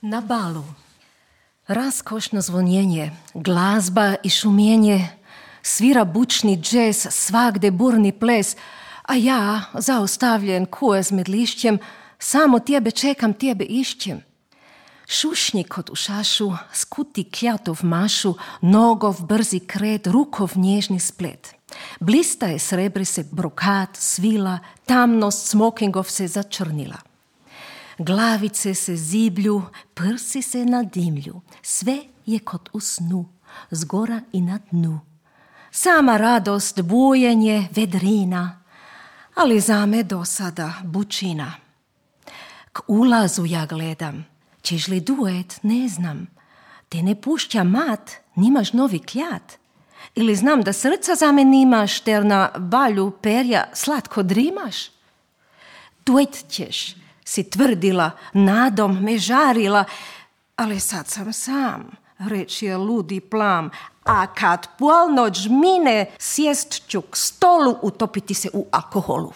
Na balu. Raskošno zvonjenje, glazba i šumenje, svira bučni džez, svagde burni ples, a ja, zaustavljen kujez med lišćem, samo tebe čekam, tebe išćem. Šušnji kot u šašu, skuti kljatov mašu, nogov brzi kret, rukov nježni splet. Blistaje srebri se brokat, svila, tamnost smokingov se začrnila. Glavice se ziblju, prsi se nadimlju, sve je kot u snu, zgora i na dnu. Sama radost, bujenje, vedrina, ali za me do sada bučina. K ulazu ja gledam, ćeš li duet, ne znam. Te ne pušća mat, nimaš novi kljat. Ili znam da srca za me nimaš, ter na balju perja slatko drimaš. Duet ćeš, si tvrdila, nadom me žarila, ali sad sam sam, reč je ludi plam, a kad polnoć mine, sjest ću k stolu, utopiti se u alkoholu.